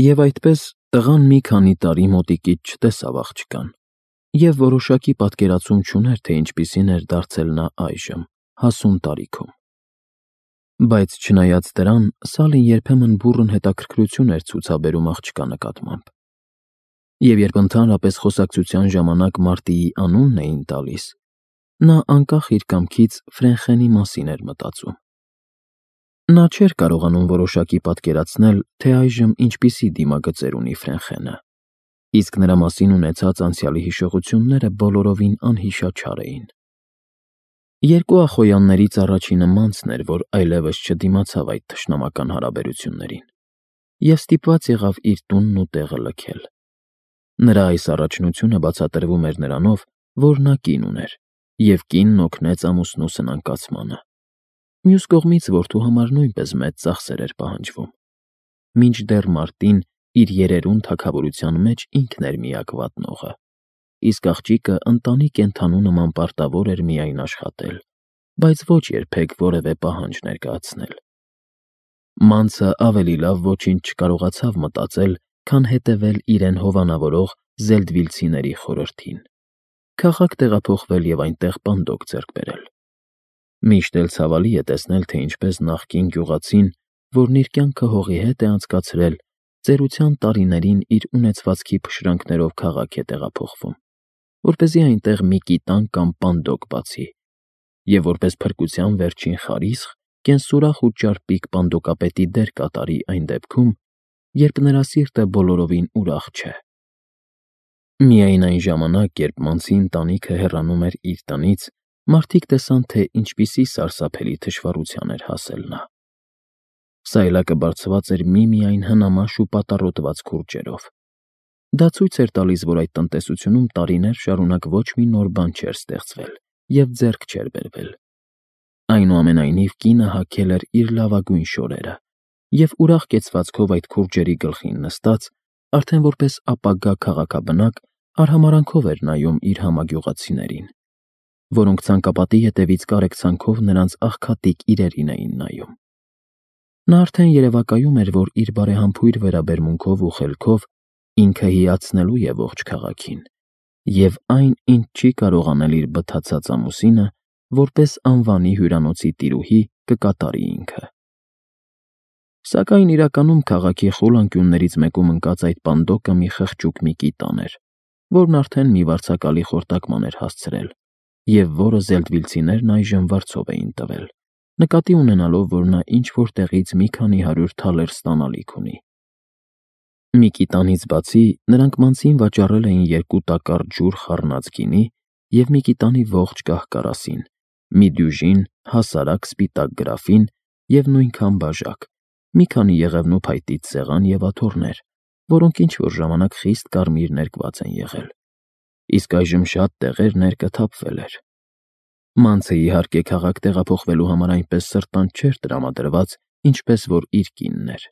Եվ այդպես տղան մի քանի տարի մոտիկից չտեսավ աղջկան, և որոշակի պատկերացում չուներ, թե ինչպիսին էր դարձել նա այժմ, հասուն տարիքում։ Բայց չնայած դրան, Սալին երբեմն բուռն հետաքրքրություն էր ցուցաբերում աղջկա նկատմամբ։ Եվ երբ ընդհանրապես խոսակցության ժամանակ Մարտիի անունն էին տալիս, նա անկախ իր կամքից Ֆրենխենի մասին էր մտածում։ Նա չէր կարողանում որոշակի պատկերացնել, թե այժմ ինչպիսի դիմագծեր ունի Ֆրենխենը, իսկ նրա մասին ունեցած անցյալի հիշողությունները բոլորովին անհիշաչար էին։ Երկու ախոյաններից առաջինը Մանցն էր, որ այլևս չդիմացավ այդ թշնամական հարաբերություններին, և ստիպված եղավ իր տունն ու տեղը լքել։ Նրա այս առաջնությունը բացատրվում էր նրանով, որ նա կին ուներ, և կինն օգնեց ամուսնու սնանկացմանը։ Մյուս կողմից որդու համար նույնպես մեծ ծախսեր էր պահանջվում, մինչդեռ Մարտին իր երերուն թագավորության մեջ ինքն էր միակ վատնողը, իսկ աղջիկը ընտանի կենդանու նման պարտավոր էր միայն աշխատել, բայց ոչ երբեք որևէ պահանջ ներկայացնել։ Մանցը ավելի լավ ոչինչ չկարողացավ մտածել, քան հետևել իրեն հովանավորող զելդվիլցիների խորհրդին, քաղաք տեղափոխվել և այնտեղ պանդոկ ձեռք բերել։ Միշտ էլ ցավալի է տեսնել, թե ինչպես նախկին գյուղացին, որն իր կյանքը հողի հետ է անցկացրել, ծերության տարիներին իր ունեցվածքի փշրանքներով քաղաք է տեղափոխվում, որպեսզի այնտեղ մի կիտան կամ պանդոկ բացի, և որպես փրկության վերջին խարիսխ կենսուրախ ու ճարպիկ պանդոկապետի դեր կատարի այն դեպքում, երբ նրա սիրտը բոլորովին ուրախ չէ։ Միայն այն ժամանակ, երբ Մանցի ընտանիքը հեռանում էր իր տնից, մարդիկ տեսան, թե ինչպիսի սարսափելի թշվառության էր հասել նա։ Սայլակը բարձված էր միմիայն հնամաշ ու պատառոտված քուրջերով։ Դա ցույց էր տալիս, որ այդ տնտեսությունում տարիներ շարունակ ոչ մի նոր բան չէր ստեղծվել և ձեռք չէր բերվել։ Այնուամենայնիվ, կինը հագել էր իր լավագույն շորերը և ուրախ կեցվածքով այդ քուրջերի գլխին նստած, արդեն որպես ապագա քաղաքաբնակ, արհամարհանքով էր նայում իր համագյուղացիներին, որոնք ցանկապատի ետևից կարեկցանքով նրանց աղքատիկ իրերին էին նայում։ Նա արդեն երևակայում էր, որ իր բարեհամբույր վերաբերմունքով ու խելքով ինքը հիացնելու է ողջ քաղաքին, և այն, ինչ չի կարող անել իր բթացած ամուսինը, որպես անվանի հյուրանոցի տիրուհի կկատարի ինքը։ Սակայն իրականում քաղաքի խուլ անկյուններից մեկում ընկած այդ պանդոկը մի խղճուկ մի կիտան էր, որն արդեն մի վարձակալի խորտակման էր հասցրել, և որը զելդվիլցիներն այժմ վարձով էին տվել, նկատի ունենալով, որ նա ինչ-որ տեղից մի քանի 100 թալեր ստանալիք ունի։ Մի կիտանից բացի, նրանք Մանցին վաճառել էին 2 տակառ ջուր խառնած գինի և մի կիտանի ողջ կահ֊կարասին, մի դյուժին հասարակ սպիտակ գրաֆին և նույնքան բաժակ, մի քանի եղևնու փայտից սեղան և աթոռներ, որոնք ինչ-որ ժամանակ խիստ կարմիր ներկված են եղել, իսկ այժմ շատ տեղեր ներկը թափվել էր։ Մանցը, իհարկե, քաղաք տեղափոխվելու համար այնպես սրտանց չէր տրամադրված, ինչպես որ իր կինն էր։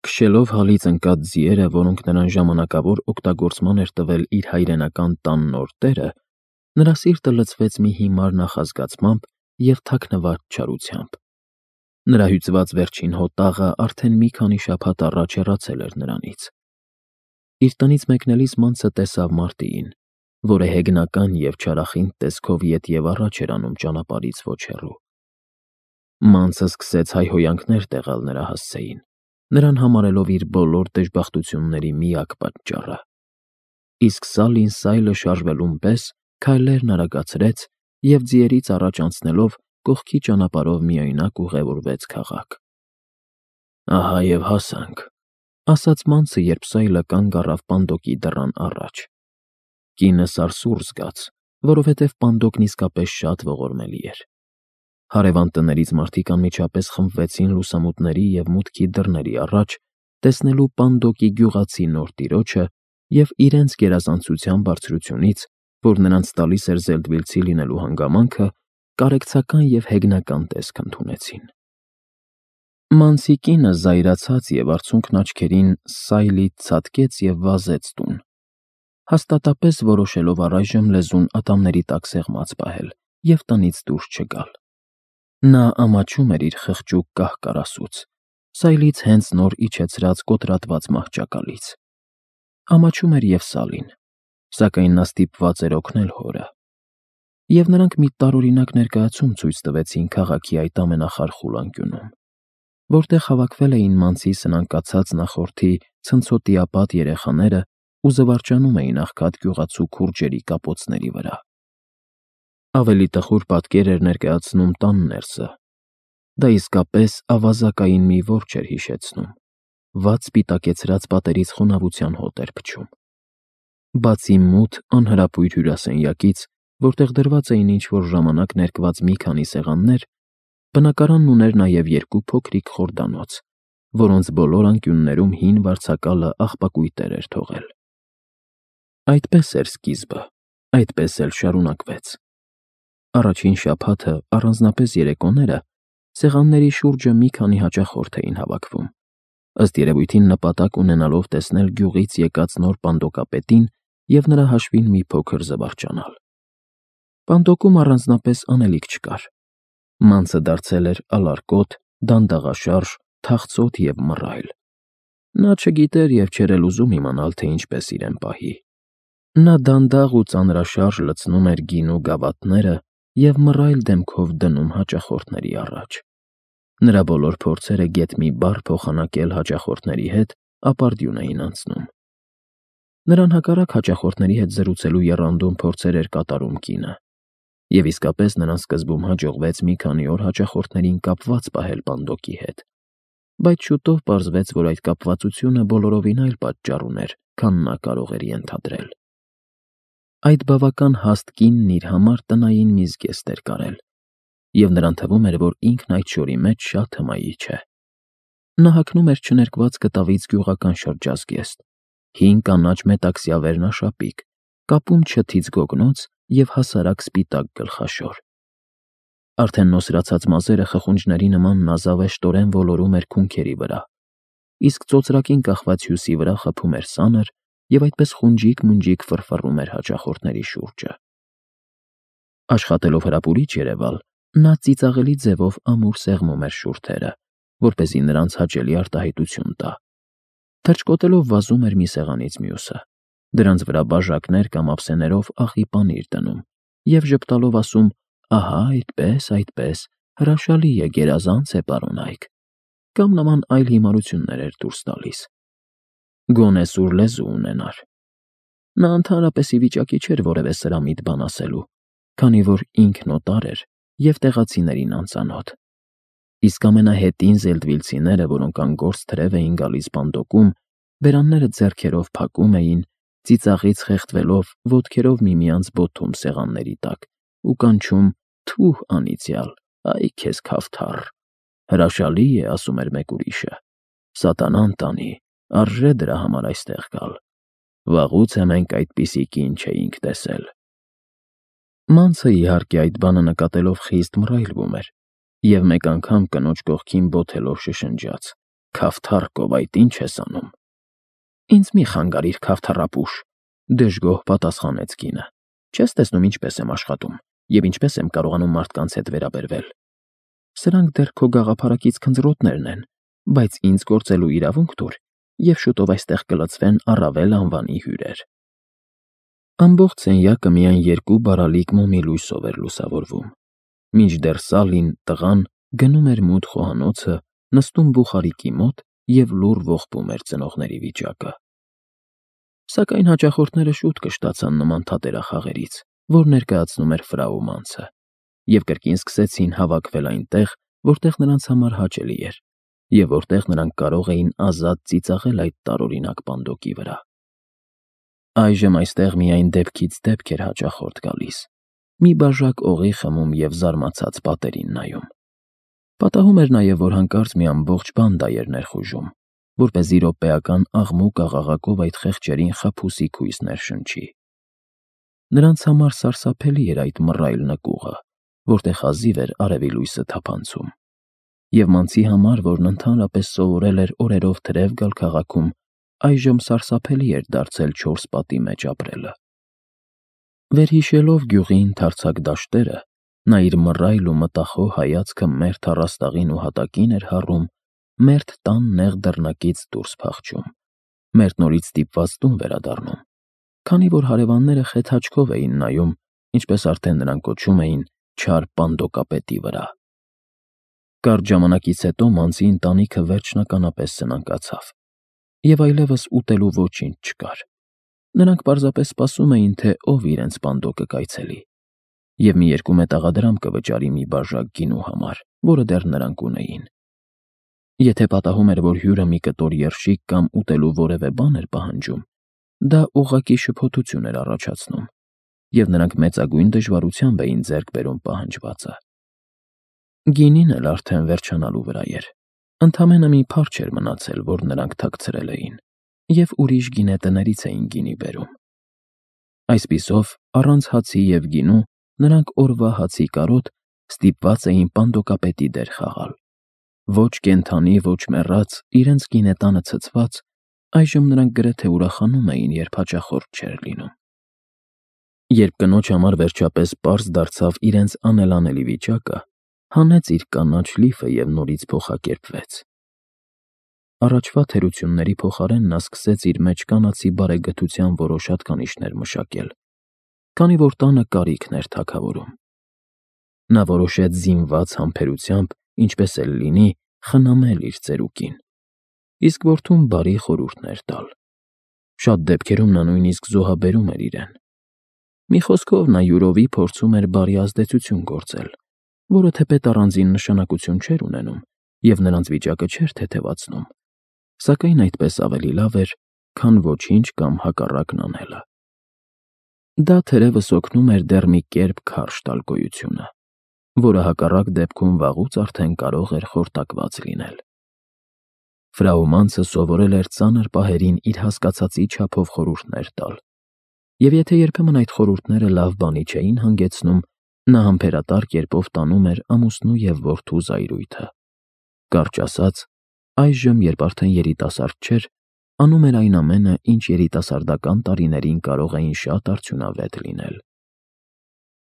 Քշելով հալից ընկած ձիերը, որոնք նրան ժամանակավոր օգտագործման էր տվել իր հայրենական տան նոր տերը, նրա սիրտը լցվեց մի հիմար նախազգացմամբ և թաքնված չարությամբ։ Նրա հյուծված վերջին հոտաղը արդեն մի քանի շաբաթ առաջ հեռացել էր նրանից։ Իր տնից մեկնելիս Մանցը տեսավ Մարտիին, որը հեգնական և չարախինդ տեսքով ետ և առաջ էր անում ճանապարհից ոչ հեռու։ Մանցը սկսեց հայհոյանքներ տեղալ նրա հասցեին, նրան համարելով իր բոլոր դժբախտությունների միակ պատճառը։ Իսկ Սալին սայլը շարժվելուն պես քայլերն արագացրեց և ձիերից առաջ անցնելով կողքի ճանապարհով միայնակ ուղևորվեց քաղաք։ «Ահա և հասանք», ֊ ասաց Մանցը, երբ սայլը կանգ առավ պանդոկի դռան առաջ։ Կինը սարսուռ զգաց, որովհետև պանդոկն իսկապես շատ ողորմելի էր։ Հարևան տներից մարդիկ անմիջապես խմբվեցին լուսամուտների և մուտքի դռների առաջ, տեսնելու պանդոկի գյուղացի նոր տիրոջը և իրենց գերազանցության բարձրությունից, որ նրանց տալիս էր զելդվիլցի լինելու հանգամանքը, կարեկցական և հեգնական տեսք ընդունեցին։ Մանցի կինը զայրացած և արցունքն աչքերին սայլից ցատկեց և վազեց տուն, հաստատապես որոշելով առայժմ լեզուն ատամների տակ սեղմած պահել և տնից դուրս չգալ։ Նա ամաչում էր իր խղճուկ կահ֊կարասուց, սայլից հենց նոր իջեցրած կոտրատված մահճակալից։ Ամաչում էր և Սալին, սակայն նա ստիպված էր օգնել հորը։ Եվ նրանք մի տարօրինակ ներկայացում ցույց տվեցին քաղաքի այդ ամենախարխուլ անկյունում, որտեղ հավաքվել էին մանցի սնանկացած նախորդի ցնցոտիապատ երեխաները ու զվարճանում էին աղքատ գյուղացու քուրջերի կապոցների վրա։ Ավելի տխուր պատկեր էր ներկայացնում տան ներսը։ Դա իսկապես ավազակային մի որջ էր հիշեցնում, վատ սպիտակեցրած պատերից խոնավության հոտ էր փչում։ Բացի մութ, անհրապույր հյուրասենյակից, որտեղ դրված էին ինչ-որ ժամանակ ներկված մի քանի սեղաններ, բնակարանն ուներ նաև երկու փոքրիկ խորդանոց, որոնց բոլոր անկյուններում հին վարձակալը աղբակույտեր էր թողել։ Այդպես էր սկիզբը, այդպես էլ շարունակվեց։ Առաջին շաբաթը, առանձնապես երեկոները, սեղանների շուրջը մի քանի հաճախորդ էին հավաքվում, ըստ երևույթին նպատակ ունենալով տեսնել գյուղից եկած նոր պանդոկապետին և նրա հաշվին մի փոքր զվարճանալ։ Պանդոկում առանձնապես անելիք չկար։ Մանցը դարձել էր ալարկոտ, դանդաղաշարժ, թախծոտ և մռայլ։ Նա չգիտեր և չէր էլ ուզում իմանալ, թե ինչպես իրեն պահի։ Նա դանդաղ ու ծանրաշարժ լցնում էր գինու գավաթները և մռայլ դեմքով դնում հաճախորդների առաջ։ Նրա բոլոր փորձերը գեթ մի բառ փոխանակել հաճախորդների հետ ապարդյուն էին անցնում։ Նրան հակառակ հաճախորդների հետ զրուցելու եռանդուն փորձեր էր կատարում կինը։ Եվ իսկապես նրան սկզբում հաջողվեց մի քանի օր հաճախորդներին կապված պահել պանդոկի հետ, բայց շուտով պարզվեց, որ այդ կապվածությունը բոլորովին այլ պատճառ ուներ, քան նա կարող էր ենթադրել։ Այդ բավական հաստ կինն իր համար տնային մի զգեստ էր կարել, և նրան թվում էր, որ ինքն այդ շորի մեջ շատ հմայիչ է։ Նա հագնում էր չներկված կտավից գյուղական շրջազգեստ, հին կանաչ մետաքսյա վերնաշապիկ, կապում չթից գոգնոց և հասարակ սպիտակ գլխաշոր։ Արդեն նոսրացած մազերը խխունջների նման նազավեշտորեն ոլորում էր քունքերի վրա, իսկ ծոծրակին կախված հյուսի վրա խփում էր սանր և այդպես խունջիկ-մունջիկ ֆռֆռում էր հաճախորդների շուրջը։ Աշխատելով հրապուրիչ երևալ, նա ծիծաղելի ձևով ամուր սեղմում էր շուրթերը, որպեսզի նրանց հաճելի արտահայտություն տա։ Թռչկոտելով վազում էր մի սեղանից մյուսը, դրանց վրա բաժակներ կամ ափսեներով աղի պանիր դնում և ժպտալով ասում. «Ահա, այդպես, հրաշալի է, գերազանց է, պարոն Այք», կամ նման այլ հիմարություններ էր դուրս տալիս։ Գոնե սուր լեզու ունենար։ Նա ընդհանրապես ի վիճակի չէր որևէ սրամիտ բան ասելու, քանի որ ինքն օտար էր և տեղացիներին անծանոթ։ Իսկ ամենահետին զելդվիլցիները, որոնք անգործ թրև էին գալիս պանդոկում, բերանները ձեռքերով փակում էին, ծիծաղից խեղդվելով, ոտքերով միմյանց բոթում սեղանների տակ ու կանչում. «Թուհ անիծյալ, այ քեզ քավթառ, հրաշալի է», ասում էր մեկ ուրիշը, «սատանան տանի, արժե դրա համար այստեղ գալ։ Վաղուց մենք այդպիսի կին չէինք տեսել»։ Մանցը, իհարկե, այդ բանը նկատելով խիստ մռայլվում էր և մեկ անգամ կնոջ կողքին բոթելով շշնջաց. «Քավթառկով այդ ի՞նչ ես անում»։ «Ինձ մի խանգարիր, քավթառապուշ», դժգոհ պատասխանեց կինը։ «Չես տեսնում ինչպես եմ աշխատում և ինչպես եմ կարողանում մարդկանց հետ վերաբերվել։ Սրանք դեռ քո գաղափարակից քնձռոտներն են, բայց ինձ գործելու իրավունք տուր, և շուտով այստեղ կլցվեն առավել անվանի հյուրեր»։ Ամբողջ սենյակը միայն երկու բարալիկ մոմի լույսով էր լուսավորվում, մինչդեռ Սալին, տղան, գնում էր մութ խոհանոցը, նստում բուխարիկի մոտ և լուռ ողբում էր ծնողների վիճակը։ Սակայն հաճախորդները շուտ կշտացան նման թատերախաղերից, որ ներկայացնում էր ֆրաու Մանցը, և կրկին սկսեցին հավաքվել այնտեղ, որտեղ նրանց համար հաճելի էր, և որտեղ նրանք կարող էին ազատ ծիծաղել այդ տարօրինակ պանդոկի վրա։ Այժմ այստեղ միայն դեպքից դեպք էր հաճախորդ գալիս, մի բաժակ օղի խմում և զարմացած պատերին նայում։ Պատահում էր նաև, որ հանկարծ մի ամբողջ բանդա էր ներխուժում, որպեսզի րոպեական աղմուկ-աղաղակով այդ խեղճերին խաբուսիկ հույս ներշնչի։ Նրանց համար սարսափելի էր այդ մռայլ նկուղը, որտեղ հազիվ էր արևի լույսը թափանցում, և Մանցի համար, որն ընդհանրապես սովորել էր օրերով թրև գալ քաղաքում, այժմ սարսափելի էր դարձել չորս պատի մեջ ապրելը։ Վերհիշելով գյուղի ընդարձակ դաշտերը, նա իր մռայլ ու մտախոհ հայացքը մերթ առաստաղին ու հատակին էր հառում, մերթ տան նեղ դռնակից դուրս փախչում, մերթ նորից ստիպված տուն վերադառնում, քանի որ հարևանները խեթ աչքով էին նայում, ինչպես արդեն նրանք կոչում էին, չար պանդոկապետի վրա։ Կարճ ժամանակից հետո Մանցի ընտանիքը վերջնականապես սնանկացավ, և այլևս ուտելու ոչինչ չկար։ Նրանք պարզապես սպասում էին, թե ով իրենց պանդոկը կայցելի, և մի 2 մետաղադրամ կվճարի մի բաժակ գինու համար, որը դեռ նրանք ունեին։ Եթե պատահում էր, որ հյուրը մի կտոր երշիկ կամ ուտելու որևէ բան էր պահանջում, դա ուղղակի շփոթություն էր առաջացնում, և նրանք մեծագույն դժվարությամբ էին ձեռք բերում պահանջվածը։ Գինին էլ արդեն վերջանալու վրա էր։ Ընդամենը մի փարչ էր մնացել, որ նրանք թաքցրել էին, և ուրիշ գինետներից էին գինի բերում։ Այսպիսով, առանց հացի և գինու, նրանք օրվա հացի կարոտ ստիպված էին պանդոկապետի դեր խաղալ։ Ոչ կենդանի, ոչ մեռած, իրենց գինետանը ցցված, այժմ նրանք գրեթե ուրախանում էին, երբ հաճախորդ չէր լինում։ Երբ կնոջ համար վերջապես պարզ դարձավ իրենց անելանելի վիճակը, հանեց իր կանաչ լիֆը և նորից փոխակերպվեց։ Առաջվա թերությունների փոխարեն նա սկսեց իր մեջ կանացի բարեգթության որոշ հատկանիշներ մշակել, քանի որ տանը կարիքն էր թագավորում։ Նա որոշեց զինված համբերությամբ, ինչպես էլ լինի, խնամել իր ծերուկին, իսկ որդուն բարի խորհուրդներ տալ։ Շատ դեպքերում նա նույնիսկ զոհաբերում էր իրեն։ Մի խոսքով, նա յուրովի փորձում էր բարի ազդեցություն գործել, որը թեպետ առանձին նշանակություն չէր ունենում և նրանց վիճակը չէր թեթևացնում, սակայն այդպես ավելի լավ էր, քան ոչինչ կամ հակառակն անելը։ Դա թերևս օգնում էր դեռ մի կերպ քարշ տալ գոյությունը, որը հակառակ դեպքում վաղուց արդեն կարող էր խորտակված լինել։ Ֆրау Մանցը սովորել էր ծանր պահերին իր հասկացածի չափով խորհուրդներ տալ, և եթե երբեմն այդ խորհուրդները լավ բանի չէին հանգեցնում, նա համբերատար կերպով տանում էր ամուսնու և որդու զայրույթը։ Կարճ ասած, այժմ, երբ արդեն երիտասարդ չէր, անում էր այն ամենը, ինչ երիտասարդական տարիներին կարող էին շատ արդյունավետ լինել։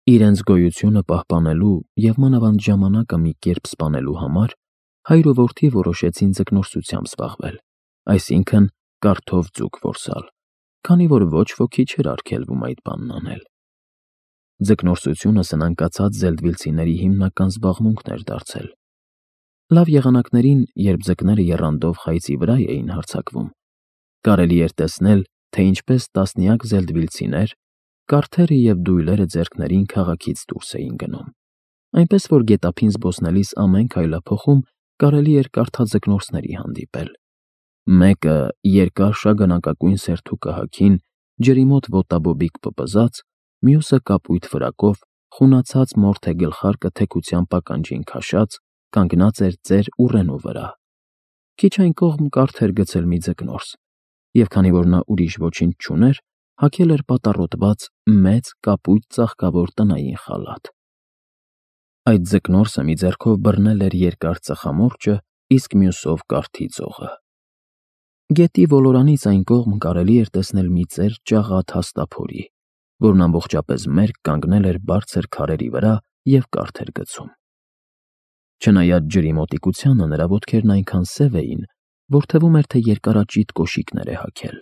Իրենց գոյությունը պահպանելու և մանավանդ ժամանակը մի կերպ սպանելու համար հայր ու որդի որոշեցին ձկնորսությամբ զբաղվել, այսինքն կարթով ձուկ որսալ, քանի որ ոչ ոքի չէր արգելվում այդ բանն անել։ Ձկնորսությունը սնանկացած զելդվիլցիների հիմնական զբաղմունքն էր դարձել։ Լավ եղանակներին, երբ ձկները եռանդով խայծի վրա էին հարձակվում, կարելի էր տեսնել, թե ինչպես տասնյակ զելդվիլցիներ, կարթերը և դույլերը ձեռքներին քաղաքից դուրս էին գնում, այնպես որ գետափին զբոսնելիս ամեն քայլափոխում կարելի էր կարթաձկնորսների հանդիպել։ Մեկը երկար շագանակագույն սերթուկը հագին, ջրի մոտ ոտաբոբիկ պպզած, մյուսը կապույտ ֆրակով, խունացած մորթե գլխարկը թեքությամբ ականջին քաշած, կանգնած էր ծեր ուռենու վրա։ Քիչ այն կողմ կարթ էր գցել մի ձկնորս, և քանի որ նա ուրիշ ոչինչ չուներ, հագել էր պատառոտված մեծ կապույտ ծաղկավոր տնային խալաթ։ Այդ ձկնորսը մի ձեռքով բռնել էր երկար ծխամորճը, իսկ մյուսով կարթի ձողը։ Գետի ոլորանից այն կողմ կարելի էր տեսնել մի ծեր ճաղատ հաստափորի, որն ամբողջապես մերկ կանգնել էր բարձր քարերի վրա և կարթ էր գցում։ Չնայած ջրի մոտիկությանը, նրա ոտքերն այնքան սև էին, որ թվում էր, թե երկարաճիտ կոշիկներ է հագել։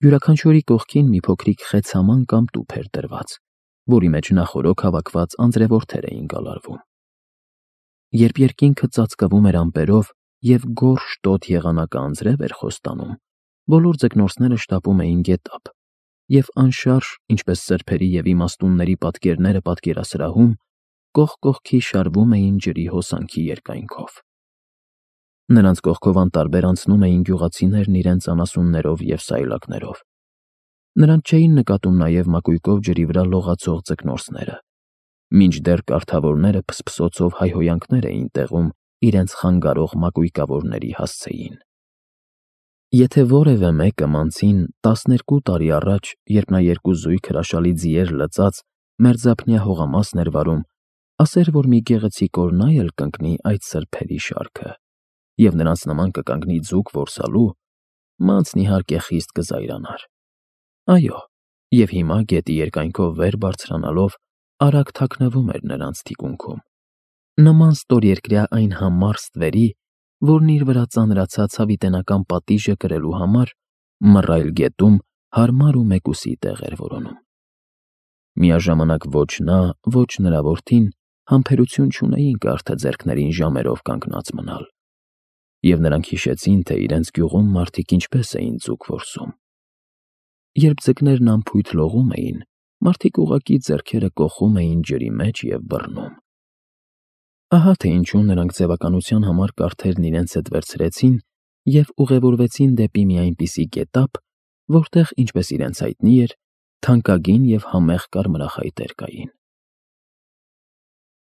Յուրաքանչյուրի կողքին մի փոքրիկ խեցաման կամ տուփ էր դրված, որի մեջ նախօրոք հավաքված անձրևորդեր էին գալարվում։ Երբ երկինքը ծածկվում էր ամպերով և գորշ տոտ եղանակը անձրև էր խոստանում, բոլոր ձկնորսները շտապում էին գետափ, և անշարժ, ինչպես սրբերի և իմաստունների պատկերները պատկերասրահում, կողք կողքի շարվում էին ջրի հոսանքի երկայնքով։ Նրանց կողքով անտարբեր անցնում էին գյուղացիներն իրենց անասուններով և սայլակներով։ Նրանց չէին նկատում նաև մակույկով ջրի վրա լողացող ձկնորսները, մինչդեռ կարթավորները փսփսոցով հայհոյանքներ էին տեղում իրենց խանգարող մակույկավորների հասցեին։ Եթե որևէ մեկը Մանցին 12 տարի առաջ, երբ նա երկու զույգ հրաշալի ձիեր լծած մերձափնյա հողամասն էր վարում, ասեր, որ մի գեղեցիկ օր նա էլ կընկնի այդ սրբերի շարքը, և նրանց նման կկանգնի ձուկ որսալու, Մանցն իհարկե խիստ կզայրանար։ Այո, և հիմա գետի երկայնքով վեր բարձրանալով արագ թաքնվում էր նրանց թիկունքում, նման ստորերկրյա այն համառ ստվերի, որն իր վրա ծանրացած հավիտենական պատիժը կրելու համար մռայլ գետում հարմար ու մեկուսի տեղ էր որոնում։ Միաժամանակ ոչ նա, ոչ նրա որդին համբերություն չունեին կարթը ձեռքներին ժամերով կանգնած մնալ, և նրանք հիշեցին, թե իրենց գյուղում մարդիկ ինչպես էին ձուկ որսում։ Երբ ձկներն անփույթ լողում էին, մարդիկ ուղղակի ձեռքերը կոխում էին ջրի մեջ և բռնում։ Ահա թե ինչու նրանք ձևականության համար կարթերն իրենց հետ վերցրեցին և ուղևորվեցին դեպի մի այնպիսի գետափ, որտեղ, ինչպես իրենց հայտնի էր, թանկագին և համեղ կարմրախայտեր կային։